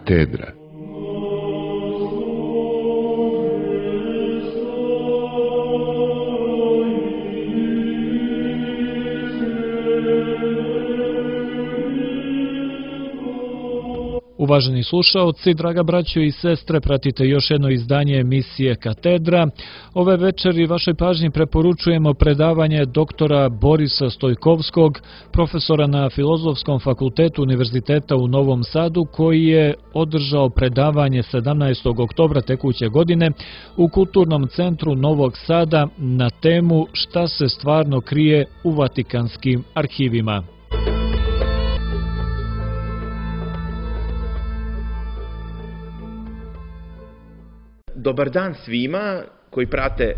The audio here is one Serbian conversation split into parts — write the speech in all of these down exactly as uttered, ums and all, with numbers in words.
Katedra. Uvaženi slušaoci, draga braćo i sestre, pratite još jedno izdanje emisije Katedra. Ove večeri vašoj pažnji preporučujemo predavanje doktora Borisa Stojkovskog, profesora na Filozofskom fakultetu Univerziteta u Novom Sadu, koji je održao predavanje sedamnaestog oktobra tekuće godine u Kulturnom centru Novog Sada na temu Šta se stvarno krije u Vatikanskim arhivima. Dobar dan svima koji prate e,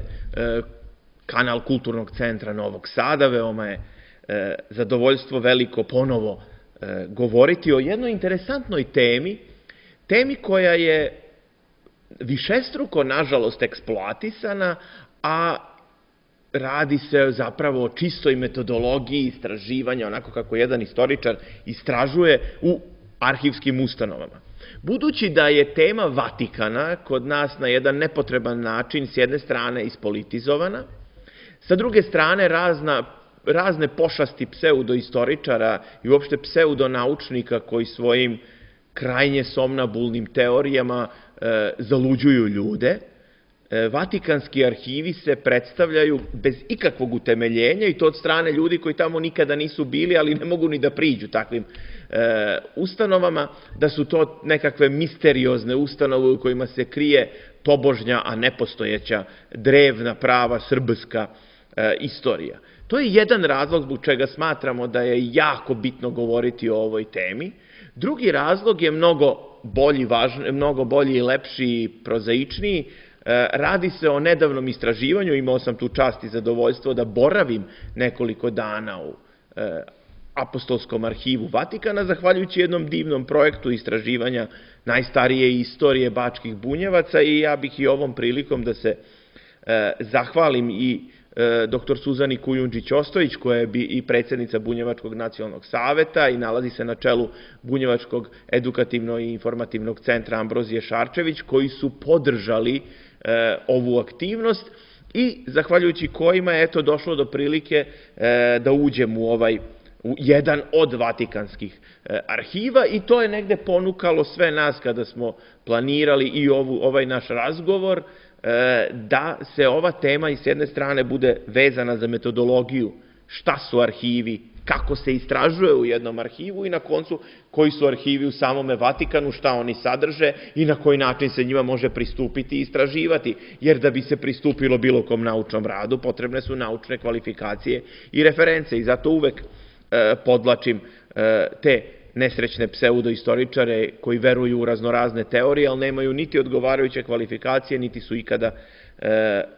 kanal Kulturnog centra Novog Sada. Veoma je e, zadovoljstvo veliko ponovo e, govoriti o jednoj interesantnoj temi, temi koja je višestruko, nažalost, eksploatisana, a radi se zapravo o čistoj metodologiji istraživanja, onako kako jedan istoričar istražuje u arhivskim ustanovama. Budući da je tema Vatikana kod nas na jedan nepotreban način s jedne strane ispolitizovana, sa druge strane razna, razne pošasti pseudoistoričara i uopšte pseudonaučnika koji svojim krajnje somnabulnim teorijama e, zaluđuju ljude, e, Vatikanski arhivi se predstavljaju bez ikakvog utemeljenja i to od strane ljudi koji tamo nikada nisu bili, ali ne mogu ni da priđu takvim E, ustanovama, da su to nekakve misteriozne ustanove u kojima se krije tobožnja, a nepostojeća drevna, prava, srbska e, istorija. To je jedan razlog zbog čega smatramo da je jako bitno govoriti o ovoj temi. Drugi razlog je mnogo bolji, važni, mnogo bolji i lepši i prozaičniji. E, radi se o nedavnom istraživanju, imao sam tu čast i zadovoljstvo da boravim nekoliko dana u e, Apostolskom arhivu Vatikana, zahvaljujući jednom divnom projektu istraživanja najstarije istorije bačkih bunjevaca, i ja bih i ovom prilikom da se e, zahvalim i e, doktor Suzani Kujundžić-Ostojić, koja je i predsjednica Bunjevačkog nacionalnog saveta i nalazi se na čelu Bunjevačkog edukativno i informativnog centra Ambrozije Šarčević, koji su podržali e, ovu aktivnost i zahvaljujući kojima je eto došlo do prilike e, da uđem u ovaj u jedan od vatikanskih e, arhiva, i to je negde ponukalo sve nas kada smo planirali i ovu, ovaj naš razgovor, e, da se ova tema i s jedne strane bude vezana za metodologiju, šta su arhivi, kako se istražuje u jednom arhivu i na koncu koji su arhivi u samome Vatikanu, šta oni sadrže i na koji način se njima može pristupiti i istraživati, jer da bi se pristupilo bilo kom naučnom radu potrebne su naučne kvalifikacije i reference, i zato uvek podlačim te nesrećne pseudoistoričare koji veruju u raznorazne teorije, ali nemaju niti odgovarajuće kvalifikacije, niti su ikada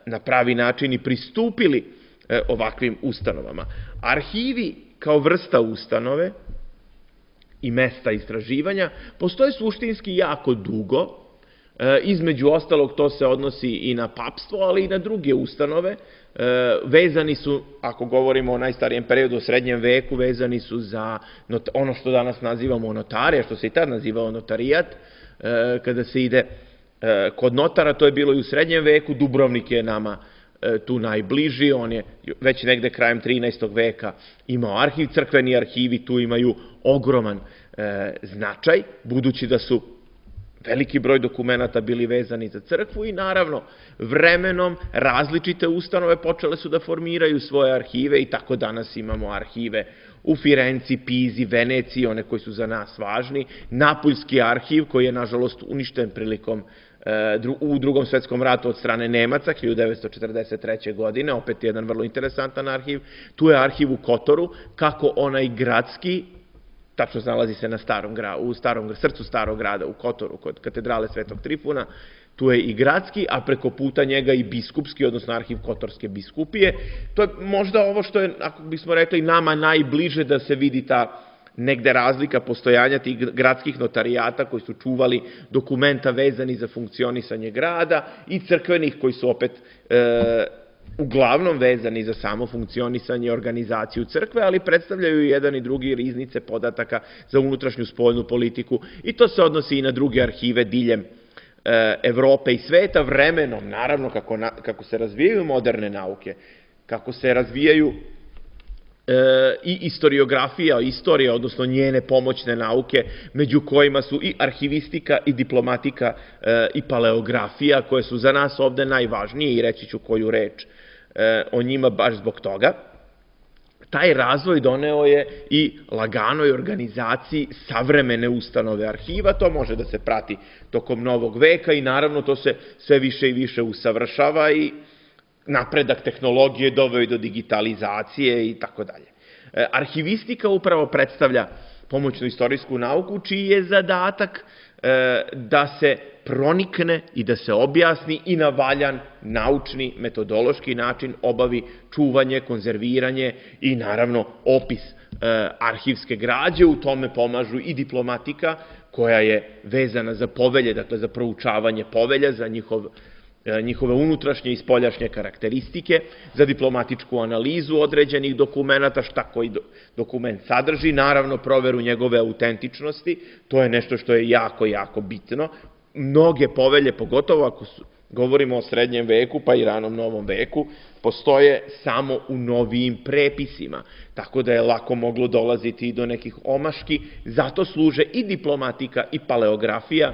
na pravi način i pristupili ovakvim ustanovama. Arhivi kao vrsta ustanove i mesta istraživanja postoje suštinski jako dugo. Između ostalog, to se odnosi i na papstvo, ali i na druge ustanove. Vezani su, ako govorimo o najstarijem periodu, o srednjem veku, vezani su za ono što danas nazivamo notarija, što se i tad nazivao notarijat. Kada se ide kod notara, to je bilo i u srednjem veku. Dubrovnik je nama tu najbliži, on je već negde krajem trinaestog veka imao arhiv. Crkveni arhivi tu imaju ogroman značaj, budući da su veliki broj dokumenata bili vezani za crkvu, i naravno vremenom različite ustanove počele su da formiraju svoje arhive, i tako danas imamo arhive u Firenci, Pizi, Veneciji, one koji su za nas važni, Napuljski arhiv koji je nažalost uništen prilikom u Drugom svetskom ratu od strane Nemaca hiljadu devetsto četrdeset treće. godine, opet jedan vrlo interesantan arhiv. Tu je arhiv u Kotoru, kako onaj gradski, tačno se nalazi se na starom gradu, u starom, srcu starog grada, u Kotoru, kod katedrale Svetog Trifuna. Tu je i gradski, a preko puta njega i biskupski, odnosno arhiv Kotorske biskupije. To je možda ovo što je, ako bismo rekli, nama najbliže da se vidi ta negde razlika postojanja tih gradskih notarijata koji su čuvali dokumenta vezani za funkcionisanje grada, i crkvenih koji su opet e, uglavnom vezani za samo funkcionisanje i organizaciju crkve, ali predstavljaju i jedan i drugi riznice podataka za unutrašnju spoljnu politiku i to se odnosi i na druge arhive diljem Evrope i sveta. Vremenom, naravno, kako, na, kako se razvijaju moderne nauke, kako se razvijaju e, i istoriografija, istorija, odnosno njene pomoćne nauke, među kojima su i arhivistika i diplomatika e, i paleografija, koje su za nas ovde najvažnije i reći ću koju reč e, o njima baš zbog toga. Taj razvoj doneo je i laganoj organizaciji savremene ustanove arhiva, to može da se prati tokom novog veka i naravno to se sve više i više usavršava i napredak tehnologije doveo i do digitalizacije i tako dalje. Arhivistika upravo predstavlja pomoćnu istorijsku nauku, čiji je zadatak da se pronikne i da se objasni i na valjan naučni, metodološki način obavi čuvanje, konzerviranje i naravno opis arhivske građe. U tome pomažu i diplomatika koja je vezana za povelje, dakle za proučavanje povelja, za njihov njihove unutrašnje i spoljašnje karakteristike, za diplomatičku analizu određenih dokumenta, šta koji dokument sadrži, naravno proveru njegove autentičnosti, to je nešto što je jako, jako bitno. Mnoge povelje, pogotovo ako su, govorimo o srednjem veku pa i ranom novom veku, postoje samo u novijim prepisima, tako da je lako moglo dolaziti i do nekih omaški, zato služe i diplomatika i paleografija,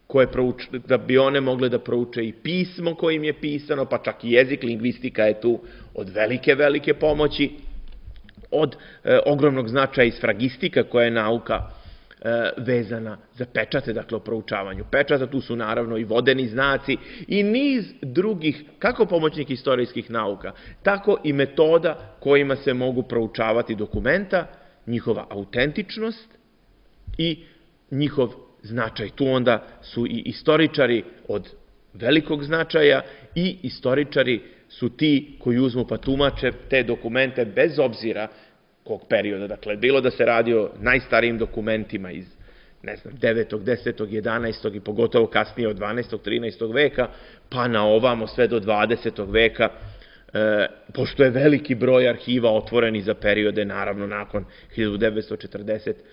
koje prouč, da bi one mogle da prouče i pismo kojim je pisano, pa čak i jezik, lingvistika je tu od velike, velike pomoći, od e, ogromnog značaja i sfragistika koja je nauka e, vezana za pečate, dakle o proučavanju pečata, tu su naravno i vodeni znaci i niz drugih, kako pomoćnih istorijskih nauka, tako i metoda kojima se mogu proučavati dokumenta, njihova autentičnost i njihov značaj. Tu onda su i istoričari od velikog značaja i istoričari su ti koji uzmu pa tumače te dokumente bez obzira kog perioda. Dakle, bilo da se radi o najstarijim dokumentima iz, ne znam, devetog, desetog, jedanaestog i pogotovo kasnije od dvanaestog, trinaestog veka, pa na ovamo sve do dvadesetog veka, e, pošto je veliki broj arhiva otvoreni za periode, naravno, nakon hiljadu devetsto četrdeset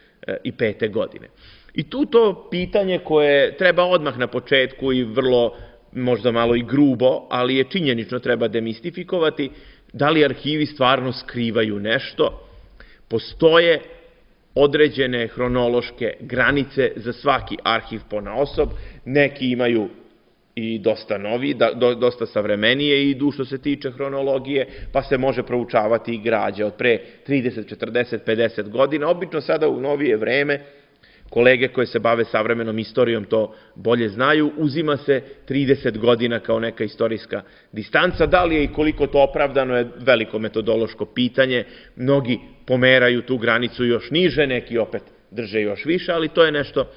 pete. godine. I tu to pitanje koje treba odmah na početku i vrlo, možda malo i grubo, ali je činjenično treba demistifikovati, da li arhivi stvarno skrivaju nešto. Postoje određene hronološke granice za svaki arhiv ponaosob, neki imaju i dosta novi, dosta savremenije idu što se tiče hronologije, pa se može proučavati i građa od pre trideset, četrdeset, pedeset godina. Obično sada u novije vreme, kolege koje se bave savremenom istorijom to bolje znaju, uzima se trideset godina kao neka istorijska distanca. Da li je i koliko to opravdano je veliko metodološko pitanje. Mnogi pomeraju tu granicu još niže, neki opet drže još više, ali to je nešto...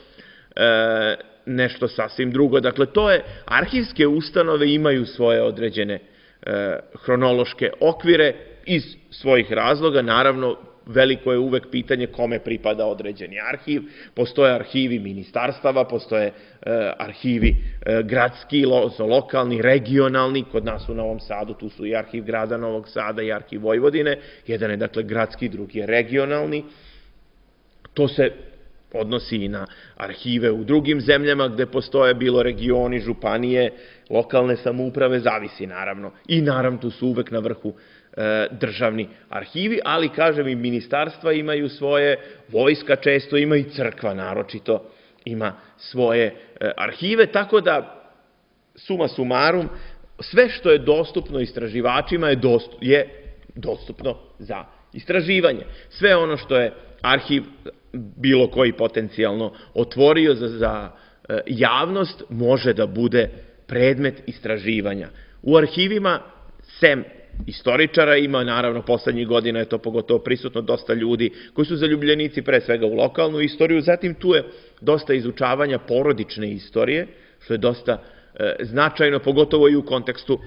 E, nešto sasvim drugo. Dakle, to je, arhivske ustanove imaju svoje određene e, hronološke okvire iz svojih razloga. Naravno, veliko je uvek pitanje kome pripada određeni arhiv. Postoje arhivi ministarstava, postoje e, arhivi e, gradski, lo, lokalni, regionalni. Kod nas u Novom Sadu tu su i arhiv grada Novog Sada i arhiv Vojvodine. Jedan je, dakle, gradski, drugi je regionalni. To se odnosi i na arhive u drugim zemljama gde postoje bilo regioni, županije, lokalne samouprave, zavisi naravno. I naravno tu su uvek na vrhu e, državni arhivi, ali kažem i ministarstva imaju svoje, vojska često ima i crkva naročito ima svoje e, arhive, tako da suma sumarum, sve što je dostupno istraživačima je, dostup, je dostupno za istraživanje. Sve ono što je arhiv bilo koji potencijalno otvorio za, za e, javnost može da bude predmet istraživanja. U arhivima, sem istoričara, ima naravno poslednjih godina je to pogotovo prisutno dosta ljudi koji su zaljubljenici pre svega u lokalnu istoriju, zatim tu je dosta izučavanja porodične istorije, što je dosta e, značajno, pogotovo i u kontekstu e,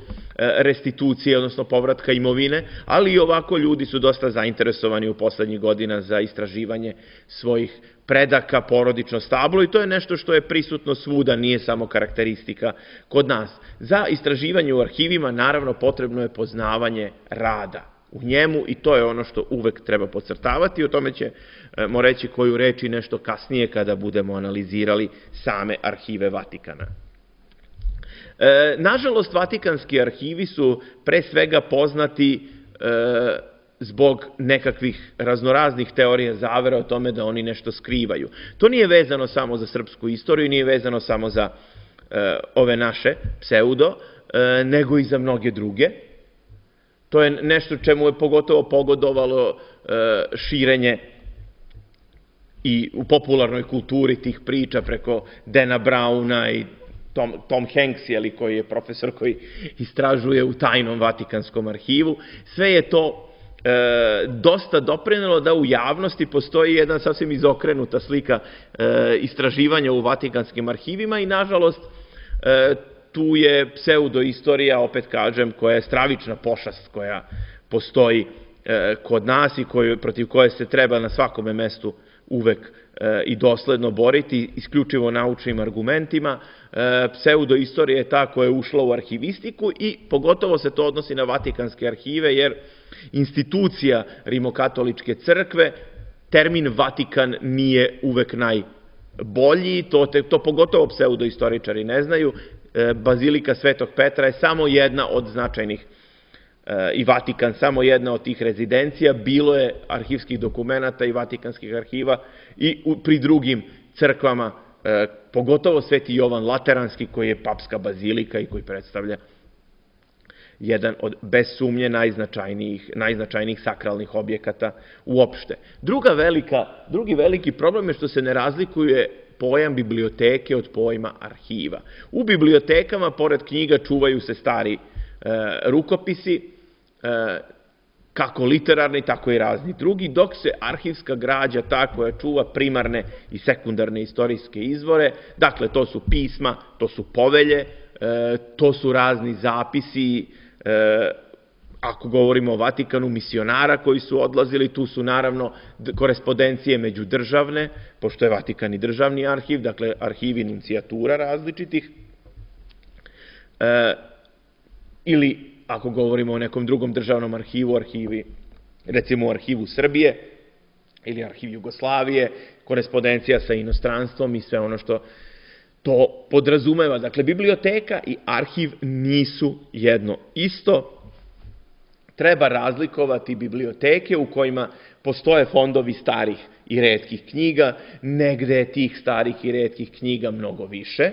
restitucije, odnosno povratka imovine, ali i ovako ljudi su dosta zainteresovani u poslednjih godina za istraživanje svojih predaka, porodično stablo i to je nešto što je prisutno svuda, nije samo karakteristika kod nas. Za istraživanje u arhivima naravno potrebno je poznavanje rada u njemu i to je ono što uvek treba podcrtavati, o tome ćemo reći koju reč i nešto kasnije kada budemo analizirali same arhive Vatikana. E, nažalost, Vatikanski arhivi su pre svega poznati e, zbog nekakvih raznoraznih teorija zavere o tome da oni nešto skrivaju. To nije vezano samo za srpsku istoriju, nije vezano samo za e, ove naše pseudo, e, nego i za mnoge druge. To je nešto čemu je pogotovo pogodovalo e, širenje i u popularnoj kulturi tih priča preko Dana Browna i Tom, Tom Hanks, jeli, koji je profesor koji istražuje u tajnom Vatikanskom arhivu. Sve je to e, dosta doprinelo da u javnosti postoji jedna sasvim izokrenuta slika e, istraživanja u Vatikanskim arhivima i nažalost e, tu je pseudoistorija, opet kažem, koja je stravična pošast koja postoji e, kod nas i koju, protiv koje se treba na svakome mestu uvek e, i dosledno boriti, isključivo naučnim argumentima. E, pseudoistorija je ta koja je ušla u arhivistiku i pogotovo se to odnosi na Vatikanske arhive, jer institucija Rimokatoličke crkve, termin Vatikan nije uvek najbolji, to, te, to pogotovo pseudoistoričari ne znaju. E, Bazilika Svetog Petra je samo jedna od značajnih i Vatikan samo jedna od tih rezidencija, bilo je arhivskih dokumenata i vatikanskih arhiva i pri drugim crkvama, pogotovo Sveti Jovan Lateranski koji je papska bazilika i koji predstavlja jedan od bez sumnje najznačajnijih, najznačajnijih sakralnih objekata uopšte. Druga velika, drugi veliki problem je što se ne razlikuje pojam biblioteke od pojma arhiva. U bibliotekama, pored knjiga, čuvaju se stari e, rukopisi, kako literarni, tako i razni drugi, dok se arhivska građa ta koja čuva primarne i sekundarne istorijske izvore, dakle to su pisma, to su povelje, to su razni zapisi, ako govorimo o Vatikanu, misionara koji su odlazili, tu su naravno korespondencije međudržavne, pošto je Vatikan i državni arhiv, dakle arhivi nuncijatura različitih, ili ako govorimo o nekom drugom državnom arhivu, arhivi, recimo u arhivu Srbije ili arhiv Jugoslavije, korespondencija sa inostranstvom i sve ono što to podrazumeva. Dakle, biblioteka i arhiv nisu jedno isto. Treba razlikovati biblioteke u kojima postoje fondovi starih i retkih knjiga, negde je tih starih i retkih knjiga mnogo više,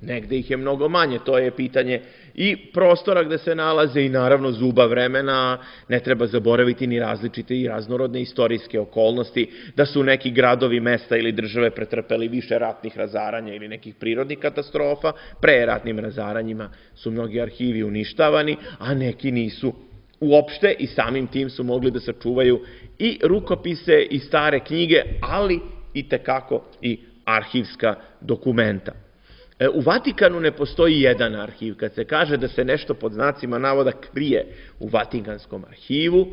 negde ih je mnogo manje, to je pitanje i prostora gde se nalaze i naravno zuba vremena, ne treba zaboraviti ni različite i raznorodne istorijske okolnosti, da su neki gradovi, mesta ili države pretrpeli više ratnih razaranja ili nekih prirodnih katastrofa, pre ratnim razaranjima su mnogi arhivi uništavani, a neki nisu uopšte i samim tim su mogli da sačuvaju i rukopise i stare knjige, ali i tekako i arhivska dokumenta. U Vatikanu ne postoji jedan arhiv. Kad se kaže da se nešto pod znacima navoda krije u Vatikanskom arhivu,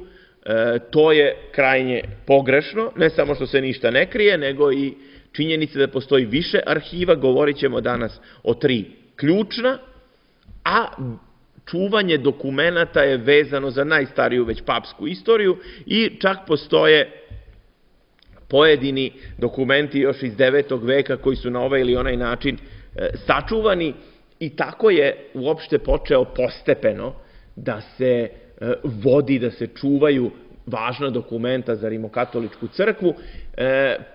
to je krajnje pogrešno, ne samo što se ništa ne krije, nego i činjenica da postoji više arhiva, govorit ćemo danas o tri ključna, a čuvanje dokumenata je vezano za najstariju već papsku istoriju i čak postoje pojedini dokumenti još iz devetog veka koji su na ovaj ili onaj način sačuvani i tako je uopšte počeo postepeno da se vodi, da se čuvaju važna dokumenta za Rimokatoličku crkvu.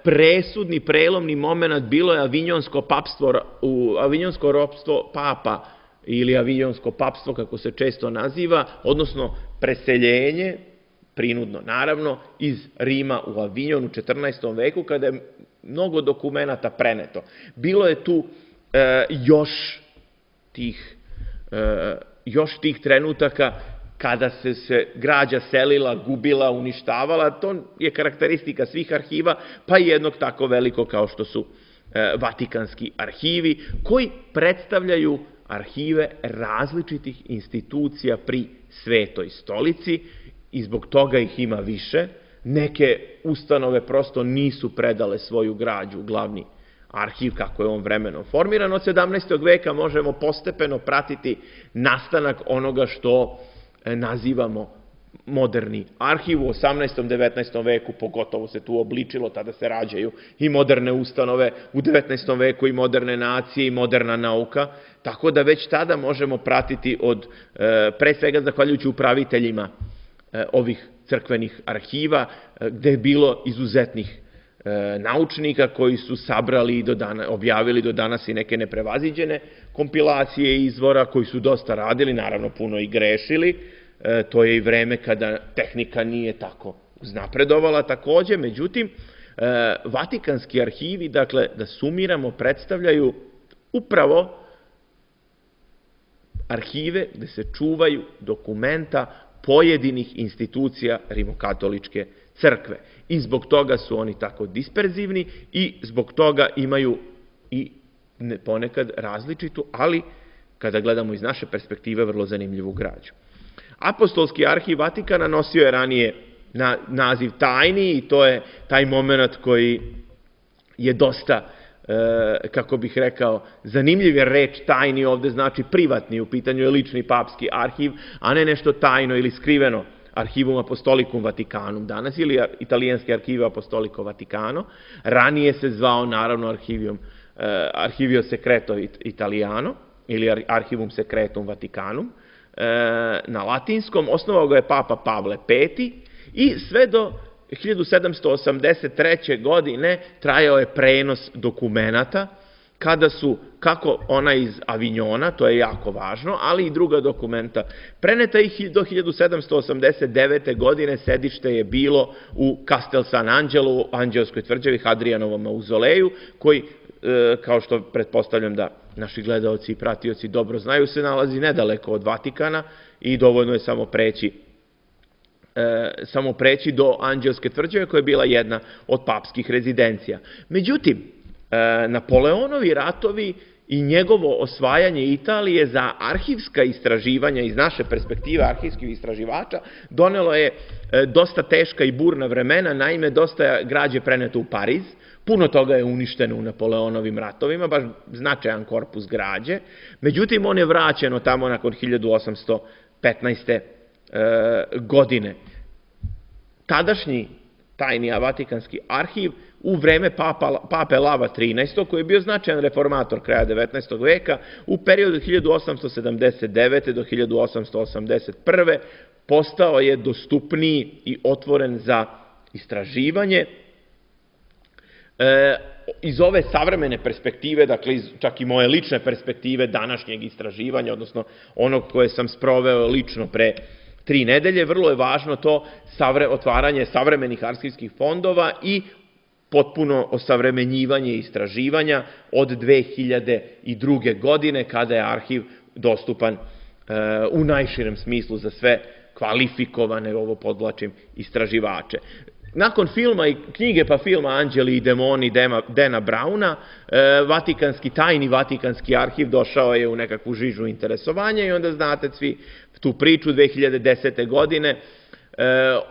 Presudni, prelomni moment bilo je Avinjonsko papstvo, Avinjonsko ropstvo papa ili Avinjonsko papstvo, kako se često naziva, odnosno preseljenje, prinudno naravno, iz Rima u Avinjon u četrnaestom veku, kada je mnogo dokumenata preneto. Bilo je tu e, još, tih, e, još tih trenutaka kada se, se građa selila, gubila, uništavala. To je karakteristika svih arhiva, pa i jednog tako veliko kao što su e, Vatikanski arhivi, koji predstavljaju arhive različitih institucija pri Svetoj stolici i zbog toga ih ima više, Neke ustanove prosto nisu predale svoju građu u glavni arhiv, kako je on vremenom formiran. Od sedamnaestog veka možemo postepeno pratiti nastanak onoga što nazivamo moderni arhiv. U osamnaestom. devetnaestom veku pogotovo se tu obličilo, tada se rađaju i moderne ustanove, u devetnaestom veku i moderne nacije i moderna nauka, tako da već tada možemo pratiti od, pre svega zahvaljujući upraviteljima ovih crkvenih arhiva, gde je bilo izuzetnih naučnika koji su sabrali i do dana, objavili do danas i neke neprevaziđene kompilacije izvora, koji su dosta radili, naravno puno i grešili. To je i vreme kada tehnika nije tako uznapredovala takođe, međutim, Vatikanski arhivi, dakle, da sumiramo, predstavljaju upravo arhive gde se čuvaju dokumenta pojedinih institucija Rimokatoličke crkve. I zbog toga su oni tako disperzivni i zbog toga imaju i ponekad različitu, ali kada gledamo iz naše perspektive, vrlo zanimljivu građu. Apostolski arhiv Vatikana nosio je ranije naziv tajni i to je taj moment koji je dosta, kako bih rekao, zanimljiv, jer reč tajni ovde znači privatni, u pitanju je lični papski arhiv, a ne nešto tajno ili skriveno, Archivum Apostolicum Vaticanum danas, ili italijanski Archivio Apostolico Vaticano. Ranije se zvao, naravno, Archivio, Archivio Secreto Italiano, ili Archivum Secretum Vaticanum, na latinskom. Osnovao ga je Papa Pavle peti i sve do hiljadu sedamsto osamdeset treće. godine trajao je prenos dokumenata, kada su, kako ona iz Avignona, to je jako važno, ali i druga dokumenta preneta, i do hiljadu sedamsto osamdeset devete. godine sedište je bilo u Castel San Angelo, u Anđelskoj tvrđavi, Hadrijanovom mauzoleju, koji, kao što pretpostavljam da naši gledaoci i pratioci dobro znaju, se nalazi nedaleko od Vatikana i dovoljno je samo preći samo preći do Anđelske tvrđave, koja je bila jedna od papskih rezidencija. Međutim, Napoleonovi ratovi i njegovo osvajanje Italije za arhivska istraživanja, iz naše perspektive arhivskih istraživača, donelo je dosta teška i burna vremena. Naime, dosta građe preneto u Pariz, puno toga je uništeno u Napoleonovim ratovima, baš značajan korpus građe. Međutim, on je vraćeno tamo nakon hiljadu osamsto petnaeste. godine. Tadašnji tajni Vatikanski arhiv u vreme pape Lava trinaestog. koji je bio značajan reformator kraja devetnaestog. veka, u periodu hiljadu osamsto sedamdeset devete. do hiljadu osamsto osamdeset prve. postao je dostupniji i otvoren za istraživanje. Iz ove savremene perspektive, dakle čak i moje lične perspektive današnjeg istraživanja, odnosno onog koje sam sproveo lično pre tri nedelje, vrlo je važno to otvaranje savremenih arhivskih fondova i potpuno osavremenjivanje istraživanja od dve hiljade druge. godine, kada je arhiv dostupan u najširem smislu za sve kvalifikovane, ovo podvlačim, istraživače. Nakon filma i knjige pa filma Anđeli i demoni Dana Browna, Vatikanski, tajni Vatikanski arhiv došao je u nekakvu žižu interesovanja i onda znate svi tu priču. dve hiljade desete. godine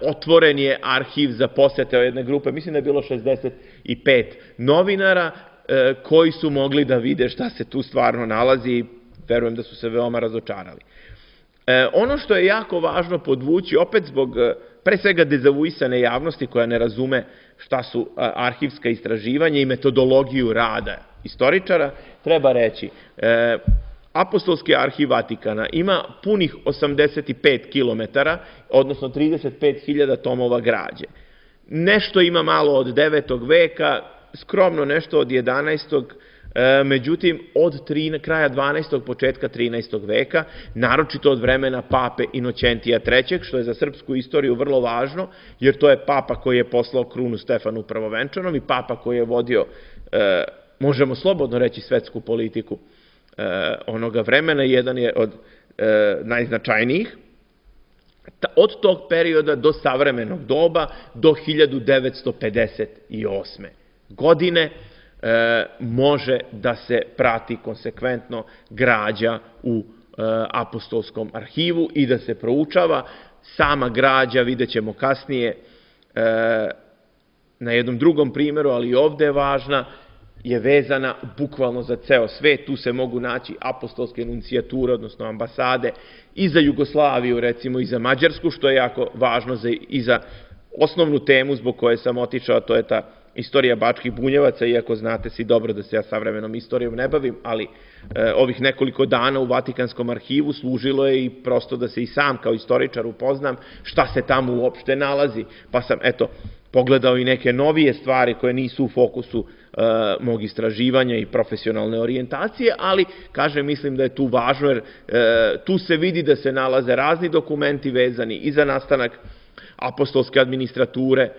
otvoren je arhiv za posete jedne grupe, mislim da je bilo šezdeset pet novinara koji su mogli da vide šta se tu stvarno nalazi i verujem da su se veoma razočarali. Ono što je jako važno podvući, opet zbog pre svega dezavuisane javnosti koja ne razume šta su arhivska istraživanja i metodologiju rada istoričara, treba reći, Apostolski arhiv Vatikana ima punih osamdeset pet kilometara, odnosno trideset pet hiljada tomova građe. Nešto ima malo od devetog. veka, skromno nešto od jedanaestog. Međutim, od kraja dvanaestog. početka trinaestog. veka, naročito od vremena pape Inoćentija trećeg. što je za srpsku istoriju vrlo važno, jer to je papa koji je poslao krunu Stefanu Prvovenčanom i papa koji je vodio, možemo slobodno reći, svetsku politiku onoga vremena, jedan je od najznačajnijih. Od tog perioda do savremenog doba, do hiljadu devetsto pedeset osme. godine, može da se prati konsekventno građa u Apostolskom arhivu i da se proučava. Sama građa, vidjet ćemo kasnije, na jednom drugom primjeru, ali i ovde je važna, je vezana bukvalno za ceo svet. Tu se mogu naći apostolske enuncijature, odnosno ambasade, i za Jugoslaviju, recimo, i za Mađarsku, što je jako važno i za osnovnu temu zbog koje sam otišao, to je ta istorija Bačkih Bunjevaca, iako znate svi dobro da se ja savremenom istorijom ne bavim, ali ovih nekoliko dana u Vatikanskom arhivu služilo je i prosto da se i sam kao istoričar upoznam šta se tamo uopšte nalazi, pa sam, eto, pogledao i neke novije stvari koje nisu u fokusu mog istraživanja i profesionalne orijentacije, ali, kažem, mislim da je tu važno, jer tu se vidi da se nalaze razni dokumenti vezani i za nastanak apostolske administrature,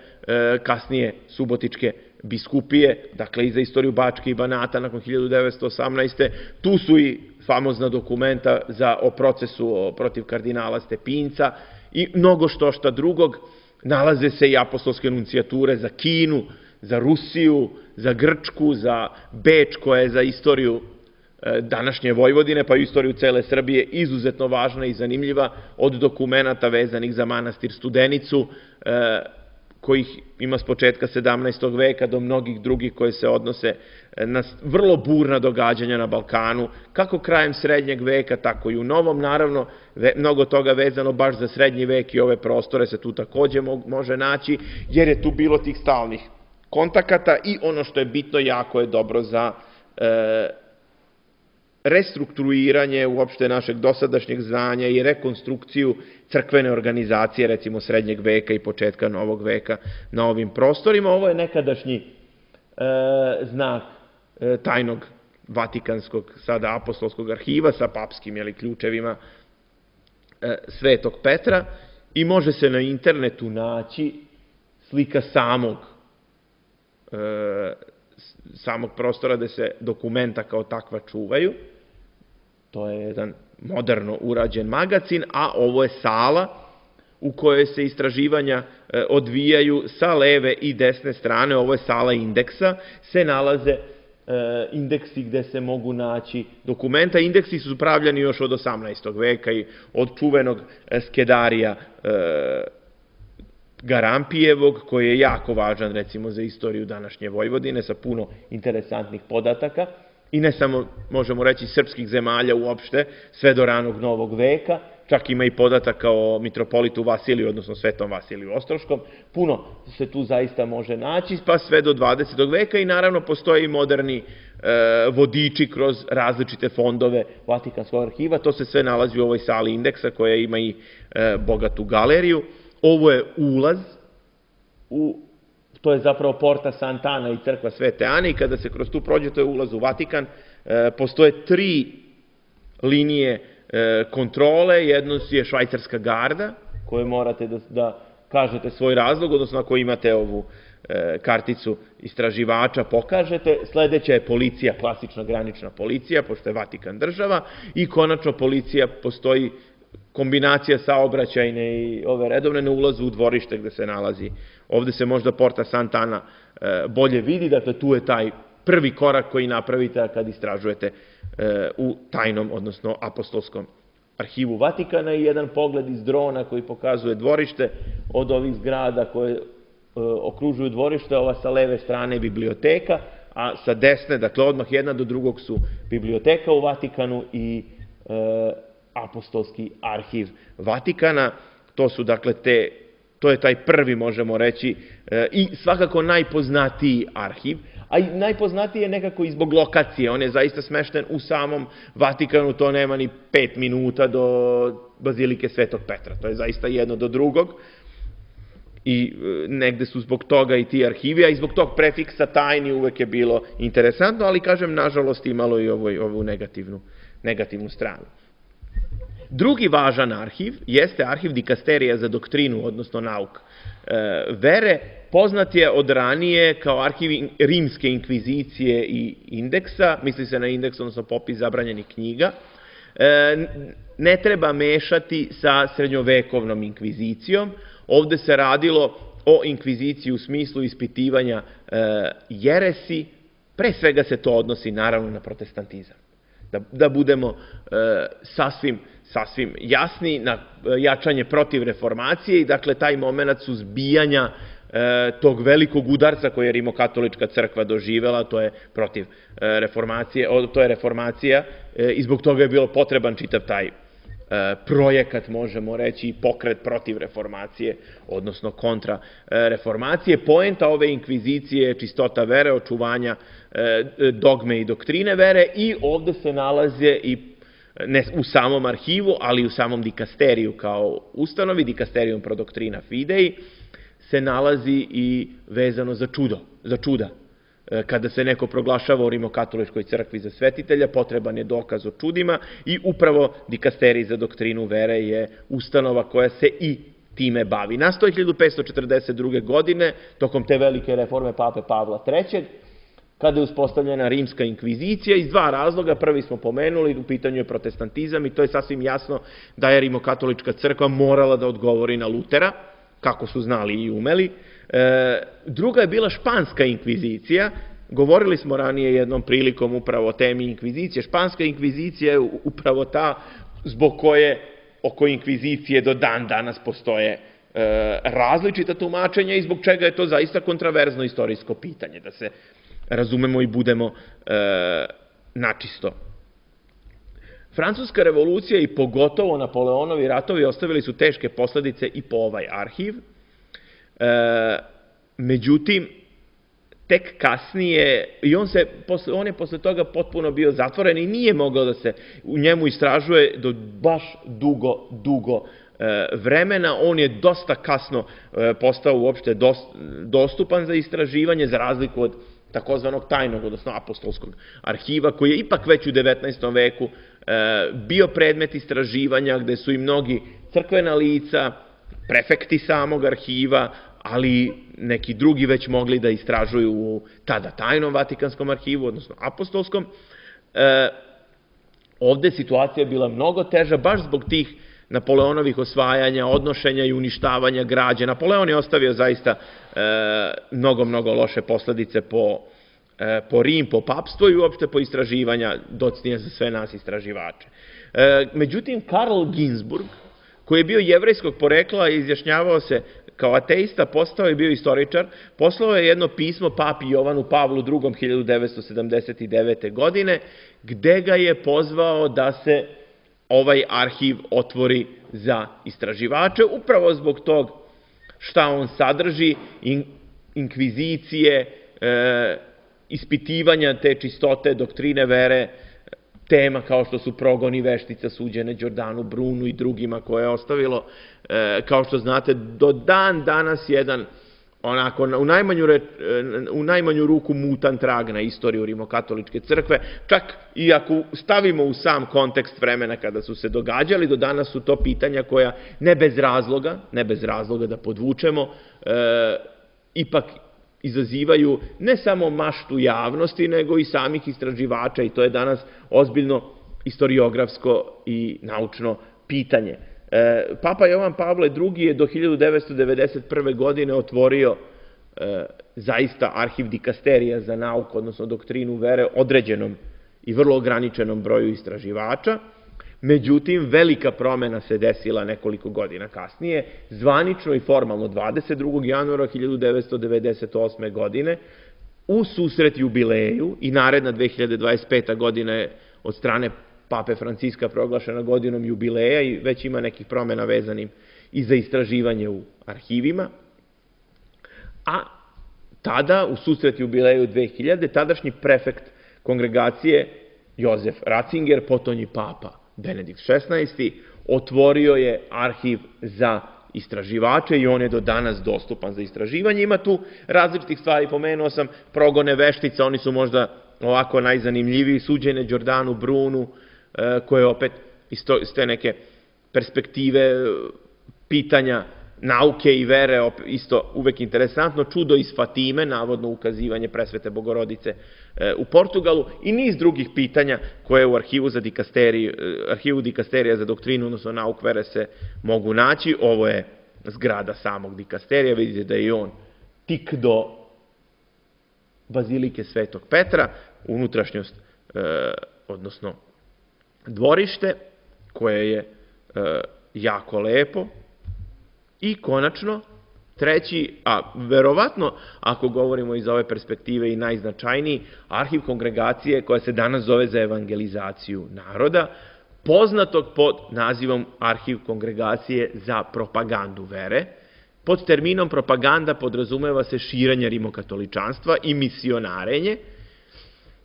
kasnije Subotičke biskupije, dakle i za istoriju Bačke i Banata nakon hiljadu devetsto osamnaeste. Tu su i famozna dokumenta o procesu protiv kardinala Stepinca i mnogo što šta drugog. Nalaze se i apostolske enuncijature za Kinu, za Rusiju, za Grčku, za Beč, koja je za istoriju današnje Vojvodine, pa i istoriju cele Srbije, izuzetno važna i zanimljiva, od dokumenta vezanih za manastir Studenicu, kojih ima s početka sedamnaestog veka do mnogih drugih koje se odnose na vrlo burna događanja na Balkanu, kako krajem srednjeg veka, tako i u novom. Naravno, mnogo toga vezano baš za srednji vek i ove prostore se tu takođe može naći, jer je tu bilo tih stalnih kontakata i ono što je bitno, jako je dobro za restrukturiranje uopšte našeg dosadašnjeg znanja i rekonstrukciju crkvene organizacije, recimo srednjeg veka i početka novog veka na ovim prostorima. Ovo je nekadašnji znak tajnog Vatikanskog, sada apostolskog arhiva sa papskim ključevima Svetog Petra i može se na internetu naći slika samog samog prostora gde se dokumenta kao takva čuvaju. To je jedan moderno urađen magacin, a ovo je sala u kojoj se istraživanja odvijaju sa leve i desne strane. Ovo je sala indeksa, se nalaze indeksi gde se mogu naći dokumenta. Indeksi su pravljani još od osamnaestog veka i od čuvenog Skedarija Garampijevog, koji je jako važan, recimo, za istoriju današnje Vojvodine, sa puno interesantnih podataka, i ne samo, možemo reći, srpskih zemalja uopšte, sve do ranog novog veka, čak ima i podataka o mitropolitu Vasiliju, odnosno Svetom Vasiliju Ostroškom, puno se tu zaista može naći, pa sve do dvadesetog veka, i naravno postoje i moderni vodiči kroz različite fondove Vatikanskog arhiva. To se sve nalazi u ovoj sali indeksa, koja ima i bogatu galeriju. Ovo je ulaz, to je zapravo Porta Sant'Ana i crkva Svete Ane, i kada se kroz tu prođe, to je ulaz u Vatikan. Postoje tri linije kontrole. Jedno je švajcarska garda, koje morate da kažete svoj razlog, odnosno ako imate ovu karticu istraživača pokažete. Sledeća je policija, klasična granična policija, pošto je Vatikan država, i konačno policija, postoji kombinacija saobraćajne i ove redovne na ulazu u dvorište gde se nalazi. Ovde se možda Porta Sant'Ana bolje vidi, dakle tu je taj prvi korak koji napravite kad istražujete u tajnom, odnosno apostolskom arhivu Vatikana, i jedan pogled iz drona koji pokazuje dvorište od ovih zgrada koje okružuju dvorište. Ova sa leve strane je biblioteka, a sa desne, dakle odmah jedna do drugog, su biblioteka u Vatikanu i apostolski arhiv Vatikana. To su, dakle, te, to je taj prvi, možemo reći, i svakako najpoznatiji arhiv, a i najpoznatiji je nekako i zbog lokacije. On je zaista smešten u samom Vatikanu, to nema ni pet minuta do Bazilike Svetog Petra. To je zaista jedno do drugog i negde su zbog toga i ti arhivi, a i zbog tog prefiksa tajni uvek je bilo interesantno, ali, kažem, nažalost imalo i ovu negativnu stranu. Drugi važan arhiv jeste arhiv Dikasterija za doktrinu, odnosno nauk vere. Poznat je od ranije kao arhiv rimske inkvizicije i indeksa, misli se na indeks, odnosno popis zabranjenih knjiga. Ne treba mešati sa srednjovekovnom inkvizicijom. Ovde se radilo o inkviziciji u smislu ispitivanja jeresi. Pre svega se to odnosi, naravno, na protestantizam. Da budemo sasvim sasvim jasni, na jačanje protiv reformacije i, dakle, taj moment suzbijanja tog velikog udarca koje je rimokatolička crkva doživela, to je protiv reformacije, to je reformacija i zbog toga je bilo potreban čitav taj projekat, možemo reći, pokret protiv reformacije, odnosno kontra reformacije. Poenta ove inkvizicije je čistota vere, očuvanja dogme i doktrine vere i ovde se nalaze i ne u samom arhivu, ali i u samom dikasteriju kao ustanovi, dikasterijum pro doctrina fidei, se nalazi i vezano za čudo, za čuda. Kada se neko proglašava u rimokatoličkoj crkvi za svetitelja, potreban je dokaz o čudima i upravo dikasterij za doktrinu vere je ustanova koja se i time bavi. Nastao je hiljadu petsto četrdeset druge. godine, tokom te velike reforme pape Pavla trećeg, kada je uspostavljena rimska inkvizicija iz dva razloga. Prvi smo pomenuli, u pitanju je protestantizam i to je sasvim jasno da je rimokatolička crkva morala da odgovori na Lutera, kako su znali i umeli. Druga je bila španska inkvizicija. Govorili smo ranije jednom prilikom upravo o temi inkvizicije. Španska inkvizicija je upravo ta zbog koje oko inkvizicije do dan danas postoje različita tumačenja i zbog čega je to zaista kontraverzno istorijsko pitanje, da se razumemo i budemo načisto. Francuska revolucija i pogotovo Napoleonovi ratovi ostavili su teške posledice i po ovaj arhiv. Međutim, tek kasnije, i on, se, on je posle toga potpuno bio zatvoren i nije mogao da se u njemu istražuje do baš dugo, dugo vremena. On je dosta kasno postao uopšte dostupan za istraživanje, za razliku od takozvanog tajnog, odnosno apostolskog arhiva, koji je ipak već u devetnaestom veku bio predmet istraživanja, gde su i mnogi crkvena lica, prefekti samog arhiva, ali neki drugi već mogli da istražuju u tada tajnom Vatikanskom arhivu, odnosno apostolskom. Ovde situacija je bila mnogo teža, baš zbog tih Napoleonovih osvajanja, odnošenja i uništavanja građe. Napoleon je ostavio zaista mnogo, mnogo loše posledice po, po Rim, po papstvo i uopšte po istraživanja, docnije za sve nas istraživače. Međutim, Karl Ginzburg, koji je bio jevrejskog porekla i izjašnjavao se kao ateista, postao je bio istoričar, poslao je jedno pismo papi Jovanu Pavlu drugom hiljadu devetsto sedamdeset devete. godine, gde ga je pozvao da se ovaj arhiv otvori za istraživače, upravo zbog tog šta on sadrži, inkvizicije, ispitivanja te čistote doktrine vere, tema kao što su progoni veštica suđene Đordanu Brunu i drugima koje je ostavilo, kao što znate, do dan danas jedan onako u najmanju, u najmanju ruku mutan trag na istoriju rimokatoličke crkve, čak i ako stavimo u sam kontekst vremena kada su se događali, do danas su to pitanja koja ne bez razloga, ne bez razloga da podvučemo, ipak izazivaju ne samo maštu javnosti, nego i samih istraživača i to je danas ozbiljno istoriografsko i naučno pitanje. Papa Jovan Pavle drugi. je do hiljadu devetsto devedeset prve. godine otvorio zaista arhiv dikasterija za nauku, odnosno doktrinu vere, određenom i vrlo ograničenom broju istraživača. Međutim, velika promena se desila nekoliko godina kasnije, zvanično i formalno dvadeset drugog januara hiljadu devetsto devedeset osme. godine, u susret jubileju i naredna dve hiljade dvadeset peta. godina je od strane Pape Franciska proglašena godinom jubileja i već ima nekih promena vezanim i za istraživanje u arhivima. A tada, u susret jubileju dve hiljade. tadašnji prefekt kongregacije Jozef Ratzinger, potonji papa Benedikt šesnaesti. otvorio je arhiv za istraživače i on je do danas dostupan za istraživanje. Ima tu različitih stvari, pomenuo sam progone veštica, oni su možda ovako najzanimljiviji, suđene Đordanu Brunu, koje opet iz te neke perspektive pitanja nauke i vere, isto uvek interesantno, čudo iz Fatime, navodno ukazivanje presvete Bogorodice u Portugalu i niz drugih pitanja koje u arhivu, za arhivu dikasterija za doktrinu, odnosno nauk vere se mogu naći. Ovo je zgrada samog dikasterija, vidite da je on tik do Bazilike Svetog Petra, unutrašnjost, odnosno dvorište, koje je jako lepo. I konačno, treći, a verovatno, ako govorimo iz ove perspektive i najznačajniji, arhiv kongregacije koja se danas zove za evangelizaciju naroda, poznatog pod nazivom arhiv kongregacije za propagandu vere. Pod terminom propaganda podrazumeva se širenje rimokatoličanstva i misionarenje.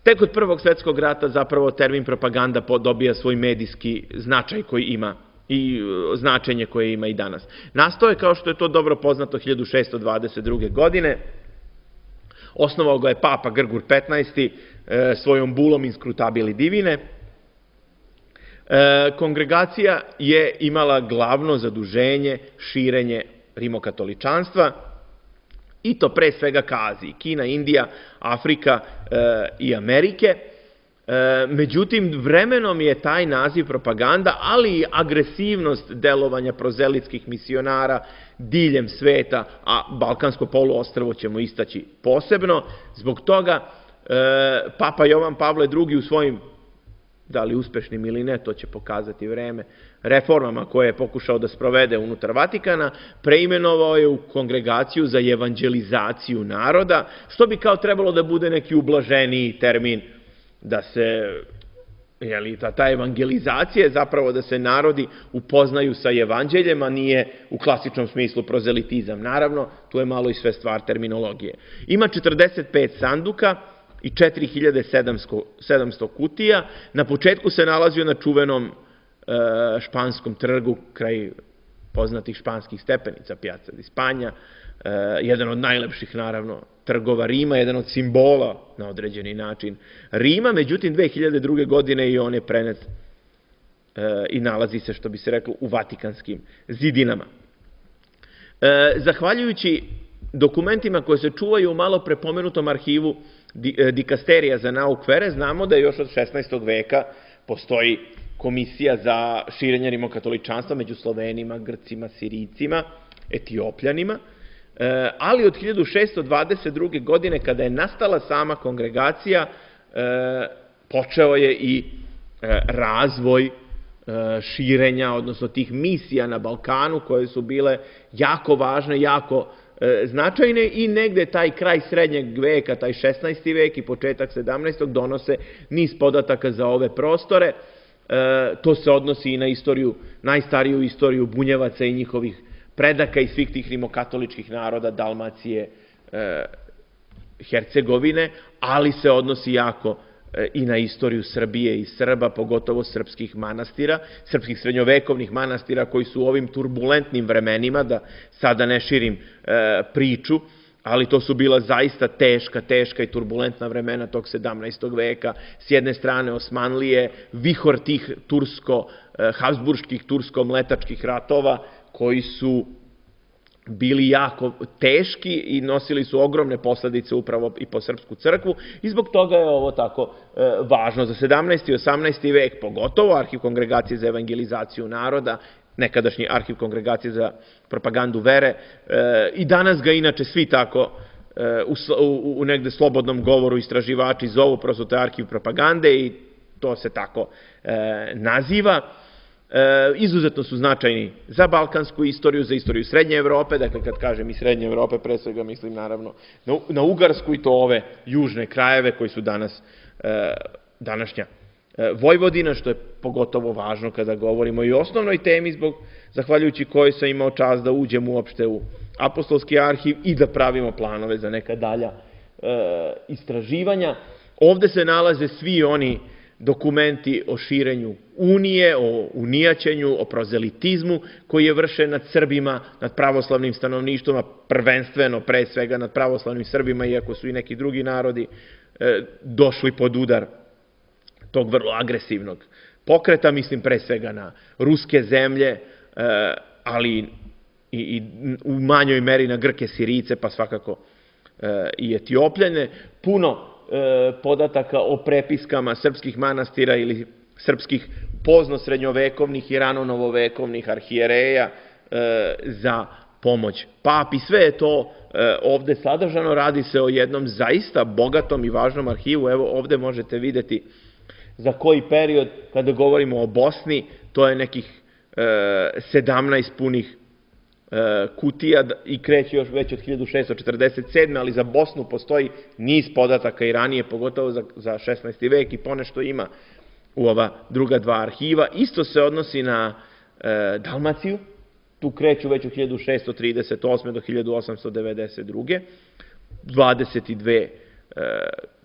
Tek od Prvog svetskog rata zapravo termin propaganda dobija svoj medijski značaj koji ima i značenje koje ima i danas. Nastao je, kao što je to dobro poznato, hiljadu šesto dvadeset druge. godine. Osnovao ga je papa Grgur petnaesti. svojom bulom Inscrutabili Divine. Kongregacija je imala glavno zaduženje širenje rimokatoličanstva, i to pre svega ka Aziji, Kina, Indija, Afrika i Amerike. Međutim, vremenom je taj naziv propaganda, ali i agresivnost delovanja prozelitskih misionara diljem sveta, a Balkansko poluostrvo ćemo istaći posebno, zbog toga Papa Jovan Pavle drugi u svojim, da li uspešnim ili ne, to će pokazati vreme, reformama koje je pokušao da sprovede unutar Vatikana, preimenovao je u Kongregaciju za evanđelizaciju naroda, što bi kao trebalo da bude neki ublaženiji termin, da se, jeli, ta, ta evangelizacija je zapravo da se narodi upoznaju sa evanđeljem, a nije u klasičnom smislu prozelitizam. Naravno, tu je malo i sve stvar terminologije. Ima četrdeset pet sanduka i četiri hiljade sedamsto kutija. Na početku se nalazio na čuvenom e, španskom trgu, kraj poznatih španskih stepenica, Piazza di Spagna, e, jedan od najlepših, naravno, trgova Rima, jedan od simbola na određeni način Rima. Međutim, dve hiljade druge. godine i on je prenet e, i nalazi se, što bi se reklo, u Vatikanskim zidinama. E, zahvaljujući dokumentima koje se čuvaju u malo prepomenutom arhivu Dikasterija za nauk vere, znamo da još od šesnaestog veka postoji komisija za širenje rimokatoličanstva među Slovenima, Grcima, Sirijcima, Etiopljanima, ali od hiljadu šesto dvadeset druge. godine, kada je nastala sama kongregacija, počeo je i razvoj širenja, odnosno tih misija na Balkanu, koje su bile jako važne, jako značajne, i negde taj kraj srednjeg veka, taj šesnaesti vek i početak sedamnaestog donose niz podataka za ove prostore. To se odnosi i na istoriju, najstariju istoriju Bunjevaca i njihovih predaka i svih tih rimokatoličkih naroda Dalmacije, Hercegovine, ali se odnosi jako i na istoriju Srbije i Srba, pogotovo srpskih manastira, srpskih srednjovekovnih manastira koji su u ovim turbulentnim vremenima, da sada ne širim priču, ali to su bila zaista teška, teška i turbulentna vremena tog sedamnaestog veka. S jedne strane Osmanlije, vihor tih tursko-habsburških, tursko-mletačkih ratova, koji su bili jako teški i nosili su ogromne posledice upravo i po srpsku crkvu, i zbog toga je ovo tako važno. Za sedamnaesti i osamnaesti vek, pogotovo Arhiv kongregacije za evangelizaciju naroda, nekadašnji Arhiv kongregacije za propagandu vere, i danas ga inače svi tako u negde slobodnom govoru istraživači zovu, prosto to je Arhiv propagande i to se tako naziva. Izuzetno su značajni za balkansku istoriju, za istoriju Srednje Evrope, dakle kad kažem i Srednje Evrope, pre svega mislim naravno na Ugarsku i to ove južne krajeve koji su danas današnja Vojvodina, što je pogotovo važno kada govorimo i o osnovnoj temi, zbog, zahvaljujući kojoj sam imao čast da uđem uopšte u Apostolski arhiv i da pravimo planove za neka dalja istraživanja. Ovde se nalaze svi oni dokumenti o širenju unije, o unijaćenju, o prozelitizmu koji je vršen nad Srbima, nad pravoslavnim stanovništvom, a prvenstveno pre svega nad pravoslavnim Srbima, iako su i neki drugi narodi došli pod udar tog vrlo agresivnog pokreta, mislim pre svega na ruske zemlje, ali i u manjoj meri na Grke, Sirijce, pa svakako i Etiopljane. Puno podataka o prepiskama srpskih manastira ili srpskih pozno-srednjovekovnih i rano-novovekovnih arhijereja za pomoć papi. Sve je to ovde sadržano, radi se o jednom zaista bogatom i važnom arhivu. Evo ovde možete videti za koji period, kada govorimo o Bosni, to je nekih sedamnaest punih kutija i kreće još već od hiljadu šeststo četrdeset sedme. ali za Bosnu postoji niz podataka i ranije, pogotovo za šesnaesti vek i ponešto ima u ova druga dva arhiva. Isto se odnosi na Dalmaciju, tu kreću već od hiljadu šeststo trideset osme do hiljadu osamsto devedeset druge.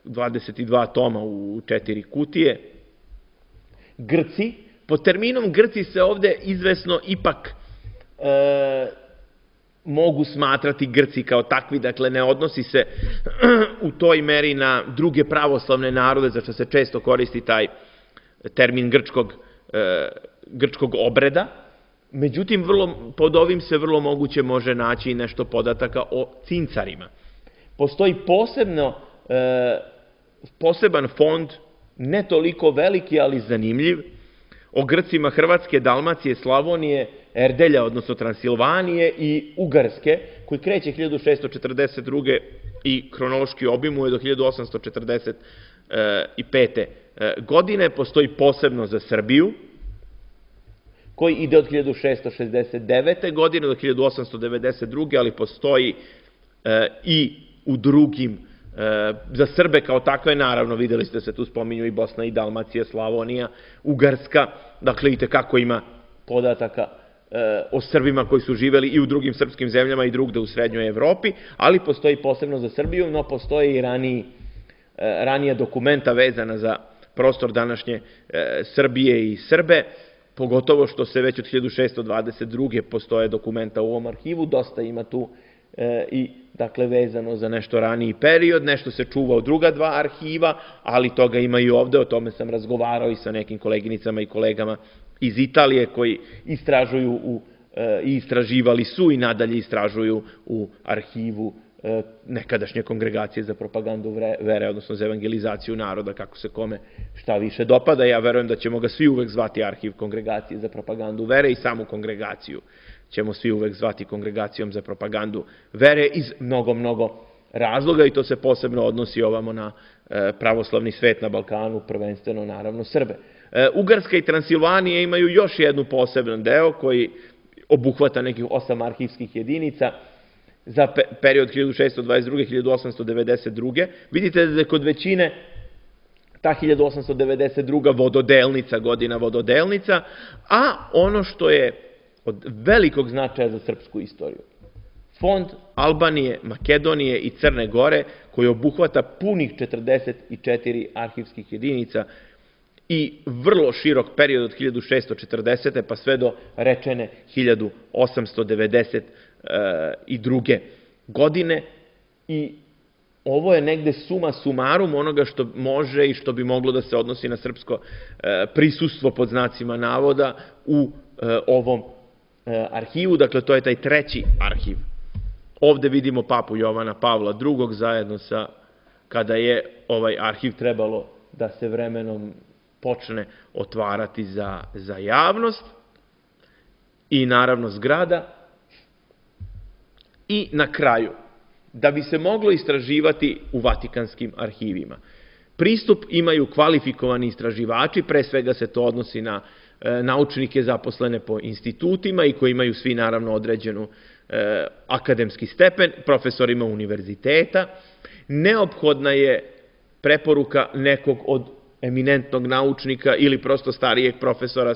dvadeset dva toma u četiri kutije. Grci, pod terminom Grci se ovde izvesno ipak mogu smatrati Grci kao takvi, dakle ne odnosi se u toj meri na druge pravoslavne narode, za što se često koristi taj termin grčkog obreda. Međutim, pod ovim se vrlo moguće može naći nešto podataka o cincarima. Postoji poseban fond, ne toliko veliki, ali zanimljiv, o Grcima Hrvatske, Dalmacije, Slavonije, Erdelja, odnosno Transilvanije i Ugarske, koji kreće hiljadu šeststo četrdeset druge i kronološki obimuje do hiljadu osamsto četrdeset pete. godine. Postoji posebno za Srbiju, koji ide od hiljadu šeststo šezdeset devete. godine do hiljadu osamsto devedeset druge. ali postoji i u drugim, za Srbe kao takve, naravno, videli ste se tu spominju i Bosna i Dalmacija, Slavonija, Ugarska, dakle i tekako ima podataka o Srbima koji su živeli i u drugim srpskim zemljama i drugde u srednjoj Evropi, ali postoji posebno za Srbiju, no postoje i ranija dokumenta vezana za prostor današnje Srbije i Srbe, pogotovo što se već od hiljadu šeststo dvadeset druge. postoje dokumenta u ovom arhivu, dosta ima tu i dakle vezano za nešto raniji period, nešto se čuva u druga dva arhiva, ali toga ima i ovde, o tome sam razgovarao i sa nekim koleginicama i kolegama iz Italije koji istražuju i istraživali su i nadalje istražuju u arhivu nekadašnje Kongregacije za propagandu vere, odnosno za evangelizaciju naroda, kako se kome šta više dopada. Ja verujem da ćemo ga svi uvek zvati arhiv Kongregacije za propagandu vere i samu kongregaciju ćemo svi uvek zvati Kongregacijom za propagandu vere iz mnogo, mnogo razloga i to se posebno odnosi ovamo na pravoslavni svet na Balkanu, prvenstveno naravno Srbe. Ugarska i Transilvanija imaju još jednu poseban deo koji obuhvata nekih osam arhivskih jedinica za period hiljadu šeststo dvadeset druge do hiljadu osamsto devedeset druge. Vidite da je kod većine ta hiljadu osamsto devedeset druga vododelnica, godina vododelnica, a ono što je od velikog značaja za srpsku istoriju, Fond Albanije, Makedonije i Crne Gore, koji obuhvata punih četrdeset četiri arhivskih jedinica i vrlo širok period od hiljadu šeststo četrdesete pa sve do rečene hiljadu osamsto devedeset druge. godine i ovo je negde suma sumarum onoga što može i što bi moglo da se odnosi na srpsko prisustvo pod znacima navoda u ovom arhivu, dakle to je taj treći arhiv. Ovde vidimo papu Jovana Pavla drugog zajedno sa, kada je ovaj arhiv trebalo da se vremenom počne otvarati za javnost i naravno zgrada. I na kraju, da bi se moglo istraživati u Vatikanskim arhivima, pristup imaju kvalifikovani istraživači, pre svega se to odnosi na naučnike zaposlene po institutima i koji imaju svi naravno određenu akademski stepen, profesorima univerziteta. Neophodna je preporuka nekog od eminentnog naučnika ili prosto starijeg profesora,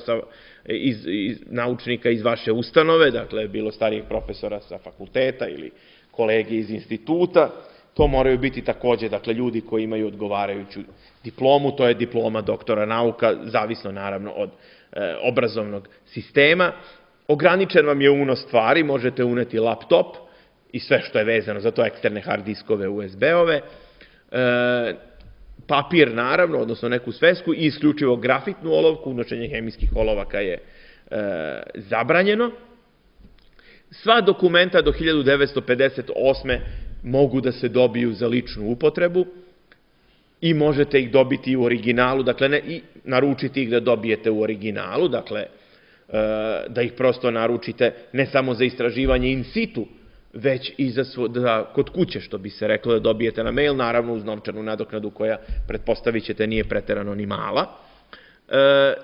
naučnika iz vaše ustanove, dakle bilo starijeg profesora sa fakulteta ili kolege iz instituta. To moraju biti takođe dakle ljudi koji imaju odgovarajuću diplomu, to je diploma doktora nauka, zavisno naravno od obrazovnog sistema. Ograničen vam je unos stvari, možete uneti laptop i sve što je vezano za to, eksterne hard diskove, U S B-ove, papir naravno, odnosno neku svesku i isključivo grafitnu olovku, unošenje hemijskih olovaka je zabranjeno. Sva dokumenta do hiljadu devetsto pedeset osme mogu da se dobiju za ličnu upotrebu i možete ih dobiti u originalu, dakle ne, i naručiti ih da dobijete u originalu, dakle da ih prosto naručite ne samo za istraživanje in situ, već i za kod kuće, što bi se reklo, da dobijete na mail, naravno uz novčanu nadoknadu koja, pretpostavit ćete, nije preterano ni mala.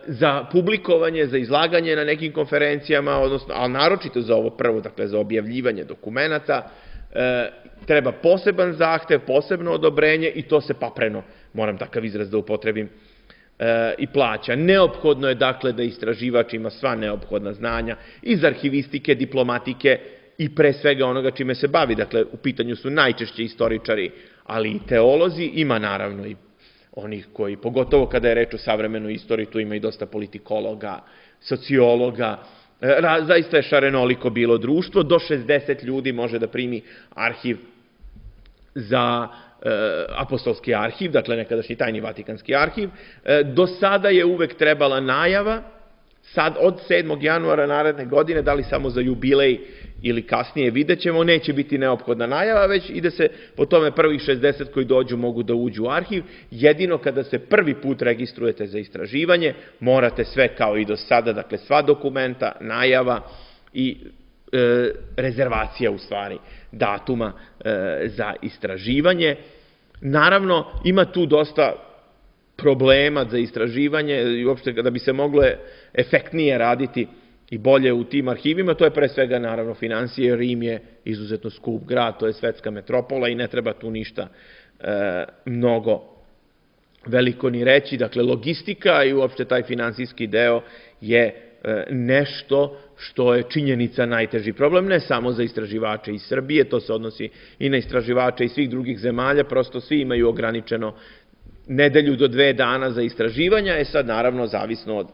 za publikovanje, za izlaganje na nekim konferencijama, odnosno, ali naročito za ovo prvo, dakle za objavljivanje dokumenata, treba poseban zahtev, posebno odobrenje i to se papreno, moram takav izraz da upotrebim, i plaća. Neophodno je dakle da istraživač ima sva neophodna znanja iz arhivistike, diplomatike i pre svega onoga čime se bavi. Dakle, u pitanju su najčešće istoričari, ali i teolozi, ima naravno i onih koji, pogotovo kada je reč o savremenoj istoriji, tu ima i dosta politikologa, sociologa, zaista je šarenoliko bilo društvo, do šezdeset ljudi može da primi arhiv za apostolski arhiv, dakle nekadašnji tajni Vatikanski arhiv. Do sada je uvek trebala najava, sad od sedmog januara naredne godine, da li samo za jubilej ili kasnije, vidjet ćemo, neće biti neophodna najava, već ide se po tome prvih šezdeset koji dođu mogu da uđu u arhiv. Jedino kada se prvi put registrujete za istraživanje, morate sve kao i do sada, dakle sva dokumenta, najava i e, rezervacija u stvari datuma e, za istraživanje. Naravno, ima tu dosta problema za istraživanje i uopšte da bi se moglo efektnije raditi i bolje u tim arhivima, to je pre svega naravno financije. Rim je izuzetno skup grad, to je svetska metropola i ne treba tu ništa e, mnogo veliko ni reći. Dakle, logistika i uopšte taj finansijski deo je e, nešto što je činjenica najteži problem, ne samo za istraživače iz Srbije, to se odnosi i na istraživače iz svih drugih zemalja, prosto svi imaju ograničeno nedelju do dve dana za istraživanja, je sad naravno zavisno od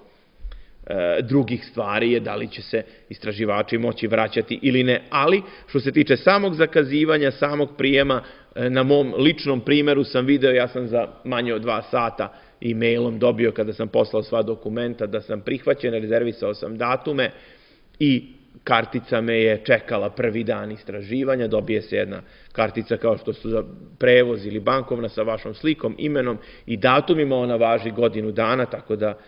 e, drugih stvari je da li će se istraživači moći vraćati ili ne, ali što se tiče samog zakazivanja, samog prijema, e, na mom ličnom primeru sam video, ja sam za manje od dva sata e-mailom dobio kada sam poslao sva dokumenta da sam prihvaćen, rezervisao sam datume i kartica me je čekala prvi dan istraživanja, dobije se jedna kartica kao što su za prevoz ili bankovna sa vašom slikom, imenom i datumima, ona važi godinu dana, tako da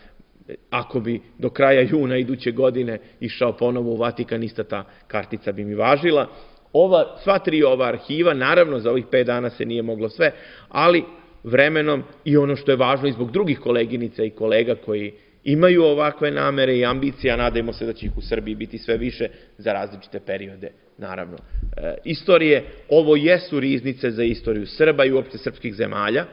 ako bi do kraja juna iduće godine išao ponovo u Vatikan, ista ta kartica bi mi važila. Ova, sva tri ova arhiva, naravno za ovih pet dana se nije moglo sve, ali vremenom i ono što je važno i zbog drugih koleginica i kolega koji imaju ovakve namere i ambicije, a nadajmo se da će ih u Srbiji biti sve više za različite periode, naravno. E, istorije, ovo jesu riznice za istoriju Srba i uopšte srpskih zemalja,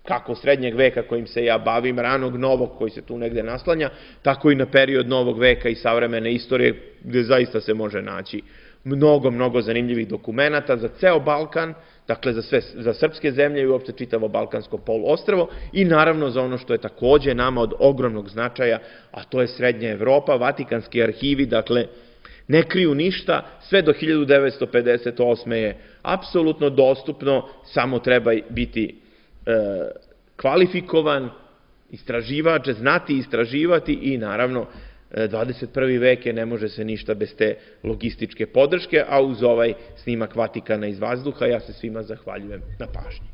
kako srednjeg veka kojim se ja bavim, ranog novog koji se tu negde naslanja, tako i na period novog veka i savremene istorije, gde zaista se može naći mnogo, mnogo zanimljivih dokumenata za ceo Balkan, dakle za, sve, za srpske zemlje i uopšte čitavo Balkansko poluostrvo i naravno za ono što je takođe nama od ogromnog značaja, a to je Srednja Evropa. Vatikanski arhivi, dakle, ne kriju ništa, sve do hiljadu devetsto pedeset osme je apsolutno dostupno, samo treba biti e, kvalifikovan istraživač, znati istraživati i naravno dvadeset prvi vek je, ne može se ništa bez te logističke podrške, a uz ovaj snimak Vatikana iz vazduha ja se svima zahvaljujem na pažnji.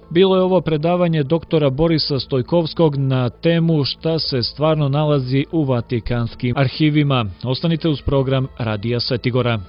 Bilo je ovo predavanje doktora Borisa Stojkovskog na temu šta se stvarno nalazi u Vatikanskim arhivima. Ostanite uz program Radija Svetigora.